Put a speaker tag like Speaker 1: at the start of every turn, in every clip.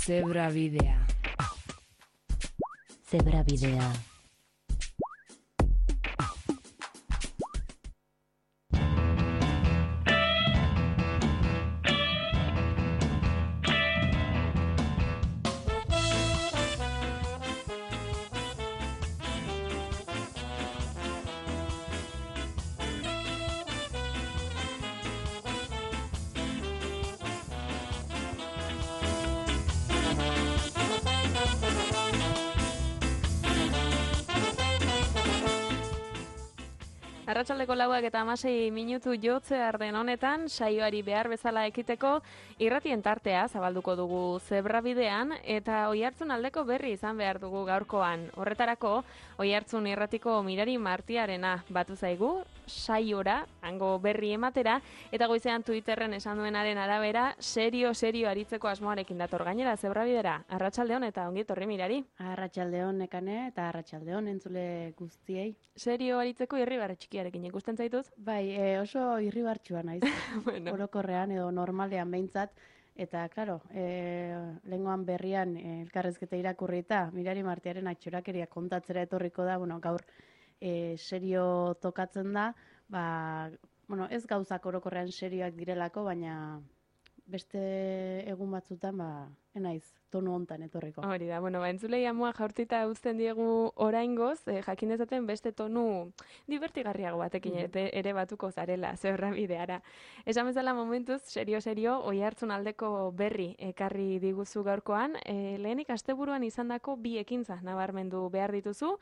Speaker 1: Zebrabidea.
Speaker 2: Zebrabidea.
Speaker 3: Arratsaldeko 4:16 jotzear den honetan, saioari behar bezala ekiteko irratien tartea zabalduko dugu Zebrabidean eta Oiartzun aldeko berri izan behar dugu gaurkoan. Horretarako, Oiartzun irratiko Mirari Martiarena batu zaigu, saiora, hango berri ematera, eta goizean Twitterren esan duenaren arabera, serio aritzeko asmoarekin dator gainera Zebrabidera. Arratsaldeon eta ongi etorri Mirari.
Speaker 4: Arratsaldeon Nekane eta arratsaldeon entzule guztiei.
Speaker 3: Serio aritzeko irribarre txikiarekin ikusten zaituz?
Speaker 4: Bai, oso irribartsua naiz.
Speaker 3: Bueno.
Speaker 4: Orokorrean edo normalean behintzat. Eta, klaro, lehengoan berrian elkarrezketa irakurrita, Mirari Martiaren atxorakeria kontatzera etorriko da, gaur serio tokatzen da, ez gauzak orokorrean serioak direlako, baina beste egun batzutan, enaiz, tonu hontan etorriko.
Speaker 3: Hori da, entzulei amua jaurtita uzten diegu oraingoz, jakin dezaten beste tonu divertigarriago batekin ere batuko zarela, Zebrabideara. Esan bezala momentuz, serio, Oiartzun aldeko berri ekarri diguzu gaurkoan, lehenik asteburuan izandako bi ekintza nabarmendu behar dituzu,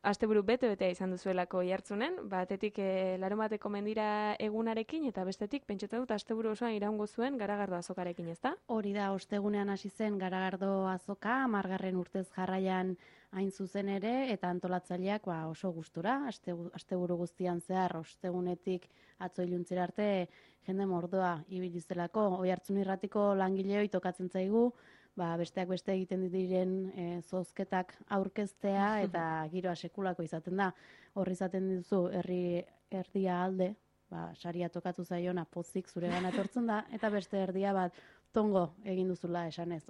Speaker 3: asteburu bete-betea izan duzuelako Oiartzunen, batetik larunbateko mendira egunarekin, eta bestetik, pentsatzen dut, asteburu osoan iraungo zuen Garagardo azokarekin, ezta?
Speaker 4: Hori da, ostegunean hasi zen Garagardo azoka, 10. urtez jarraian hain zuzen ere, eta antolatzaileak oso gustura, asteburu guztian zehar, ostegunetik atzo iluntzera arte, jende mordoa ibilizelako, Oiartzun irratiko langileoi tokatzen zaigu, besteak beste egiten diren zozketak aurkeztea, eta giroa sekulako izaten da. Horri izaten dizu, erdia alde, saria tokatu zaiona pozik zuregana etortzen da, eta beste erdia tongo egin duzula esanez.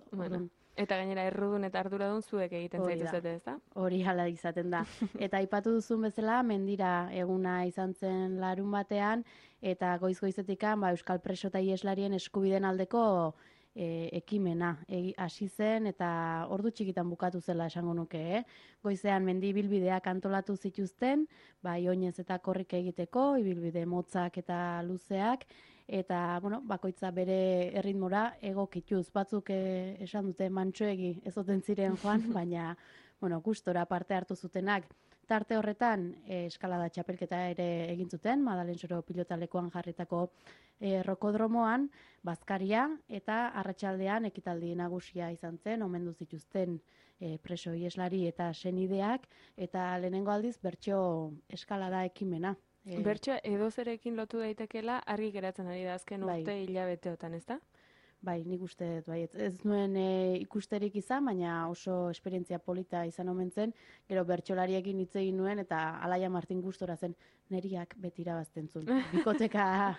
Speaker 3: Eta gainera errudun eta arduradun zuek egiten zaituzete, ezta?
Speaker 4: Hori hala izaten da. Eta aipatu duzun bezala, mendira eguna izan zen larun batean, eta goiz-goizetikan Euskal Preso eta Ieslarien eskubiden aldeko ekimena hasi zen, eta ordu txikitan bukatu zela esango nuke. Goizean mendi ibilbideak antolatu zituzten, oinez eta korrik egiteko, ibilbide motzak eta luzeak, eta bakoitza bere erritmora egokituz. Batzuk esan dute mantsoegi ezoten ziren joan, baina gustora parte hartu zutenak. Tarte horretan eskalada txapelketa ere egin zuten, Madalen Soro pilotalekuan jarritako rokodromoan, bazkaria eta arratsaldean ekitaldi nagusia izan zen, omendu zituzten preso ieslari eta senideak, eta lehenengo aldiz bertso eskalada ekimena.
Speaker 3: Bertsoa edozerekin lotu daitekela argi geratzen ari da azken urte hilabeteotan, ezta?
Speaker 4: Bai, nik uste dut, ez nuen ikusterik izan, baina oso esperientzia polita izan omen zen, gero bertsolariekin hitz egin nuen, eta Alaia Martin gustora zen, neriak beti irabazten zuen. Bikoteka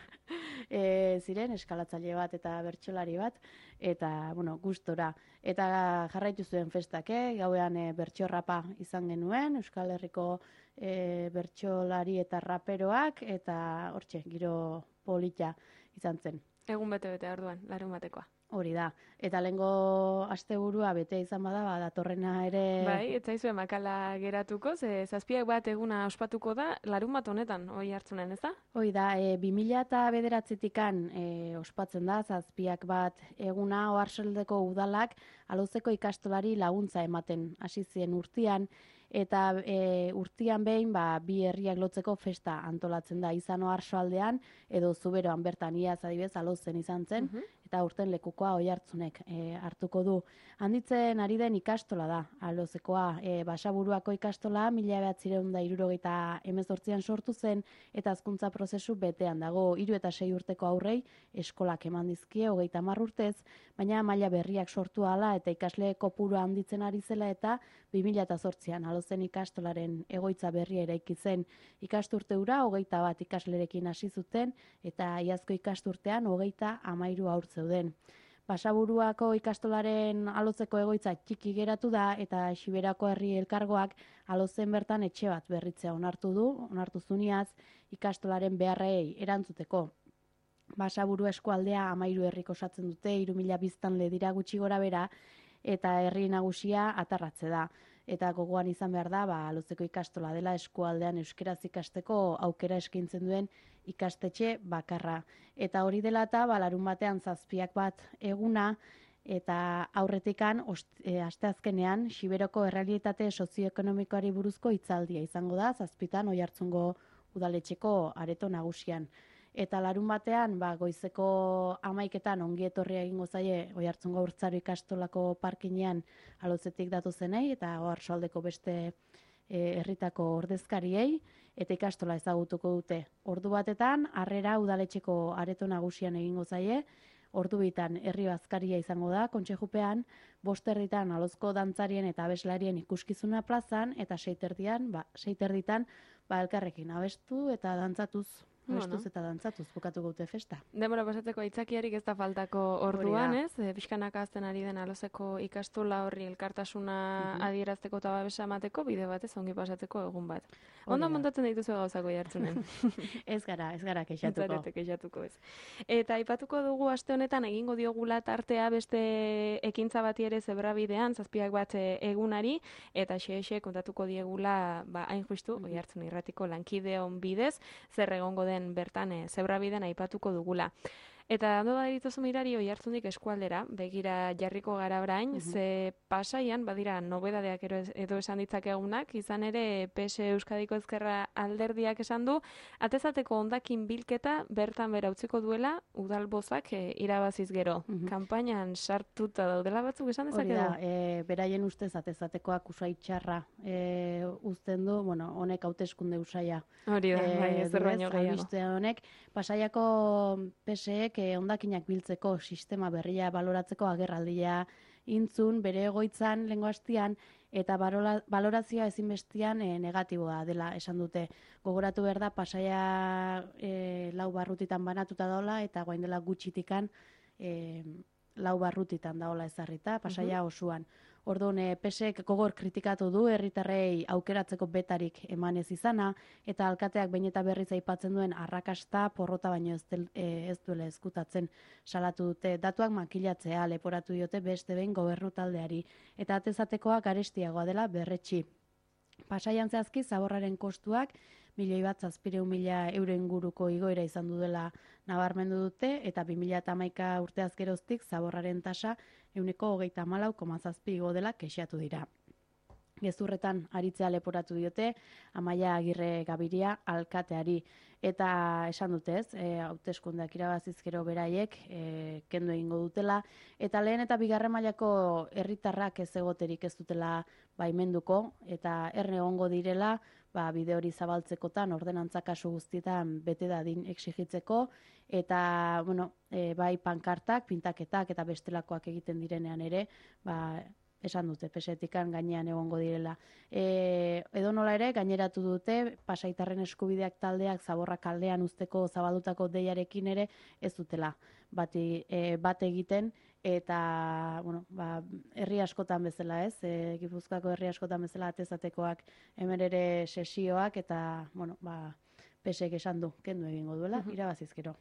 Speaker 4: ziren, eskalatzaile bat eta bertsolari bat, eta, gustora. Eta jarraitu zuen festak, gauean bertsorrapa izan genuen, Euskal Herriko bertsolari eta raperoak, eta hortxe, giro polita izan zen.
Speaker 3: Egun bete orduan, larun batekoa.
Speaker 4: Hori da. Eta lehengo asteburua bete izan bada, datorrena ere...
Speaker 3: Bai, ez zaizu makala geratuko, zazpiak bat eguna ospatuko da, larun bat honetan, Oiartzunen, ez da?
Speaker 4: Hoi da, 2009-tikan ospatzen da, zazpiak bat eguna Oarsoaldeko udalak alozeko ikastolari laguntza ematen hasi zien urtean, eta urtean behin bi herriak lotzeko festa antolatzen da izan Oarsoaldean, edo Zuberoan bertan iaz adibez alozen izan zen, eta urten lekukoa Oiartzunek hartuko du. Handitzen ari den ikastola da, alozekoa, Basaburuako ikastola 1978an sortu zen, eta hezkuntza prozesu betean dago, 3 eta 6 urteko aurrei eskolak eman dizkie 30 urtez, baina maila berriak sortu ahala eta ikasle kopurua handitzen ari zela, eta 2008an alozen ikastolaren egoitza berria eraiki zen. Ikasturte hura 21 ikaslerekin hasi zuten, eta iazko ikasturtean 33 haur zeuden. Basaburuako ikastolaren alotzeko egoitza txiki geratu da eta Xiberako herri elkargoak alozen bertan etxe bat berritzea onartu zuniaz ikastolaren beharrei erantzuteko. Basaburu eskualdea 13 herrik osatzen dute, 3.000 biztanle dira gutxi gora bera, eta herri nagusia Atarratze da. Eta gogoan izan behar da, alotzeko ikastola dela eskualdean euskeraz ikasteko aukera eskaintzen duen ikastetxe bakarra. Eta hori dela eta larun batean 7 eguna, eta aurretikan asteazkenean Xiberoko errealitate sozioekonomikoari buruzko hitzaldia izango da, 7 Oiartzungo udaletxeko areto nagusian. Eta larun batean, goizeko 11etan ongi etorria egingo zaie Oiartzungo Urtzaro ikastolako parkinean alotzetik datozenei eta Oarsoaldeko beste herritako ordezkariei, eta ikastola ezagutuko dute. Ordu batetan, Harrera udaletxeko areto nagusian egingo zaie, ordu bitan herri bazkaria izango da, kontxejupean, 5:00 alozko dantzarien eta abeslarien ikuskizuna plazan, eta 6:30 elkarrekin abestu eta dantzatuz. Abestuz eta dantzatuz bukatuko dute festa.
Speaker 3: Denbora pasatzeko aitzakiarik ez da faltako orduan, ez? Pixkanaka azten ari den alozeko ikastola horri elkartasuna adierazteko eta babesa emateko, bide batez ongi pasatzeko egun bat. Ondo montatzen dituzu gauzako Oiartzunen.
Speaker 4: Ez gara kexatuko.
Speaker 3: Zarete kexatuko ez. Eta aipatuko dugu aste honetan egingo diogula tartea beste ekintza bati ere Zebrabidean, 7 egunari, eta xe kontatuko diegula, hain justu, Oiartzun irratiko lankideon bidez, zer egongo den bertan Zebrabidean aipatuko dugula. Eta ondo badituzu Mirari Oiartzundik eskualdera, begira jarriko gara orain, ze Pasaian badira nobedadeak edo esan ditzakegunak, izan ere PS Euskadiko Ezkerra alderdiak esan du, atezateko hondakin bilketa bertan bera utziko duela udalbozak irabaziz gero. Kanpainan sartuta daudela batzuk esan dezakegu?
Speaker 4: Hori da, beraien ustez atezatekoak usai txarra uzten du, honek hauteskunde usaia.
Speaker 3: Hori da, ez baino gehiago.
Speaker 4: Honek, Pasaiako PSek hondakinak biltzeko sistema berria baloratzeko agerraldia intzun, bere egoitzan lehengo astean, eta balorazioa ezinbestean negatiboa dela esan dute. Gogoratu behar da, Pasaia 4 barrutitan banatuta daola, eta guain dela gutxitikan 4 barrutitan daola ezarrita, Pasaia osoan. Orduan, PSek gogor kritikatu du herritarrei aukeratzeko betarik emanez izana, eta alkateak behin eta berriz aipatzen duen arrakasta porrota baino ez duela ezkutatzen salatu dute. Datuak makilatzea leporatu diote beste behin gobernu taldeari, eta atezatekoa garestiagoa dela berretsi. Pasaian zehazki zaborraren kostuak 1.700.000 euro inguruko igoera izan du dela nabarmendu dute, eta 2011 urteaz geroztik zaborraren tasa 34,7 igo dela kexatu dira. Gezurretan aritzea leporatu diote Amaia Agirre Gabiria alkateari, eta esan dute ez, hauteskundeak irabaziz gero beraiek kendu egingo dutela, eta lehen eta bigarren mailako herritarrak ez egoterik ez dutela baimenduko, eta erne egongo direla bide hori zabaltzekotan, ordenantza kasu guztietan bete dadin exigitzeko, eta bai pankartak, pintaketak eta bestelakoak egiten direnean ere, esan dute, pesetikan gainean egongo direla. Edo nola ere, gaineratu dute, Pasaitarren eskubideak taldeak zaborra kaldean uzteko zabaldutako deiarekin ere ez dutela bat egiten, eta herri askotan bezala ez, Gipuzkoako herri askotan bezala atezatekoak hemen ere sesioak, eta pesek esan du, kendu egingo duela, irabaziz gero.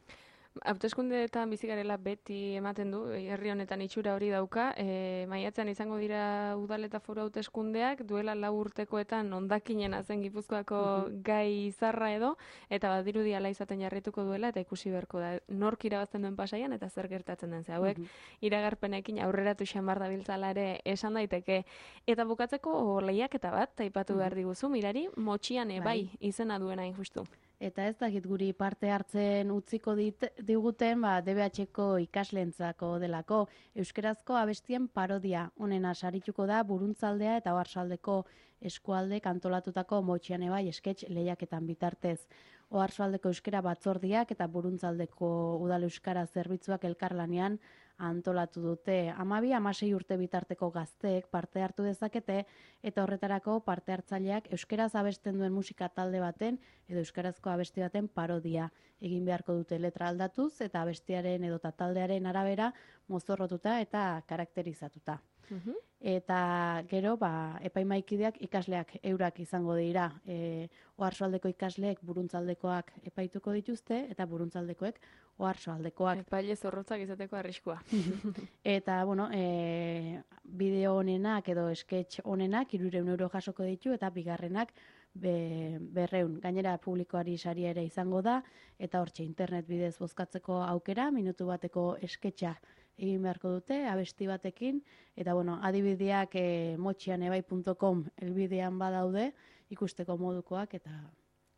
Speaker 3: Hauteskundeetan bizi garela beti ematen du, herri honetan itxura hori dauka, maiatzean izango dira udal eta foru hauteskundeak, duela 4 urtekoetan hondakinen zen Gipuzkoako gai izarra edo, eta badirudi hala izaten jarrituko duela, eta ikusi beharko da, nork irabazten duen Pasaian, eta zer gertatzen den ze hauek, iragarpenekin aurreratu xamar dabiltzala ere esan daiteke. Eta bukatzeko lehiaketa bat, aipatu behar diguzu, Mirari, Motxian bai izena duena injustu.
Speaker 4: Eta ez dakit guri parte hartzen utziko diguten, DBH-ko ikaslentzako delako. Euskerazko abestien parodia honena sarituko da Buruntzaldea eta Oarsoaldeko eskualde kantolatutako Motxiane bai esketx lehiaketan bitartez. Oarsoaldeko euskera batzordiak eta Buruntzaldeko udal euskara zerbitzuak elkarlanean antolatu dute. 12-16 urte bitarteko gazteek parte hartu dezakete, eta horretarako parte hartzaileak euskaraz abesten duen musika talde baten edo euskarazko abesti baten parodia egin beharko dute letra aldatuz eta abestiaren edota taldearen arabera mozorrotuta eta karakterizatuta. Eta gero, epaimaikideak ikasleak eurak izango dira. Oarsoaldeko ikasleek buruntzaldekoak epaituko dituzte, eta buruntzaldekoek oarsoaldekoak.
Speaker 3: Epaile zorrotzak izateko arriskua.
Speaker 4: Eta, bideo honenak edo sketch honenak 300 euro jasoko ditu, eta bigarrenak 200. Gainera publikoari saria ere izango da, eta hortxe internet bidez bozkatzeko aukera, minutu bateko sketcha egin beharko dute, abesti batekin, eta adibideak motxianebai.com elbidean badaude, ikusteko modukoak, eta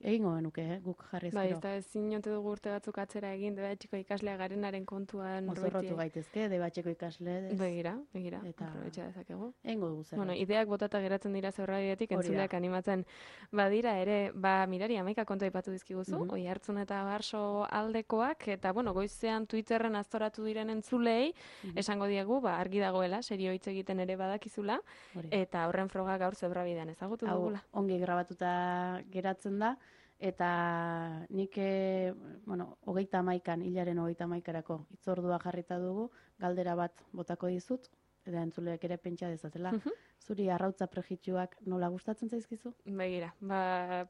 Speaker 4: egingo genuke, guk jarri ezkero.
Speaker 3: Eta ezin jote dugu urte batzuk atzera egin, debatxeko ikaslea garenaren kontuan.
Speaker 4: Mozorrotu gaitezke, debatxeko ikasle.
Speaker 3: Begira, aprobetxa dezakegu.
Speaker 4: Egingo dugu zer.
Speaker 3: Ideak botata geratzen dira zeurrabidetik, entzuleak animatzen badira ere, Mirari, 11 kontu aipatu dizkiguzu, Oiartzun eta Barso aldekoak, eta goizean Twitterren aztoratu diren entzulei, esango diegu, argi dagoela, serio hitz egiten ere badakizula, eta horren froga gaur zeurrabidean ezagutu dugula.
Speaker 4: Ongi grabatuta geratzen da, eta nik, 31an, hilaren 31arako itzordua jarrita dugu, galdera bat botako dizut, eta entzuleak ere pentsa dezatela. Zuri arrautza prejitxuak nola gustatzen zaizkizu?
Speaker 3: Begira,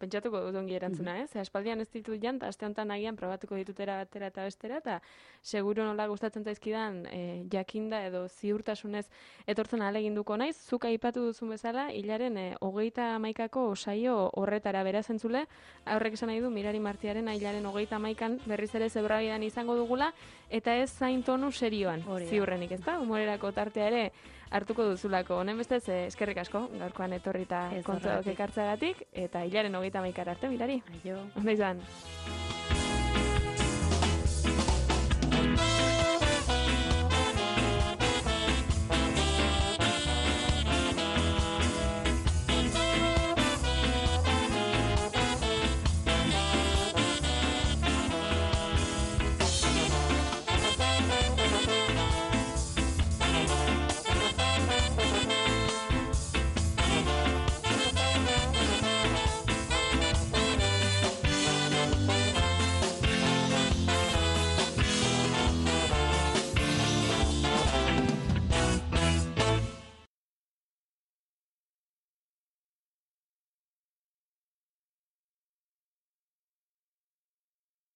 Speaker 3: pentsatuko dut ongi erantzuna, aspaldian ez ditut jant, aste honetan agian probatuko ditutera batera eta bestera, eta seguro nola gustatzen zaizkidan jakinda edo ziurtasunez etortzen ahaleginduko naiz, zuk aipatu duzun bezala, hilaren 31ako saio horretara beraz entzule, horrek esan nahi du Mirari Martiaren hilaren 31an berriz ere zebrabidan izango dugula, eta ez zain tonu serioan, ziurrenik, ez da? Humorerako tartea ere hartuko duzulako. Honen bestez, eskerrik asko, gaurkoan etorrita kontuak ekartzagatik, eta hilaren 31 arte, Mirari.
Speaker 4: Aio.
Speaker 3: Ondo izan.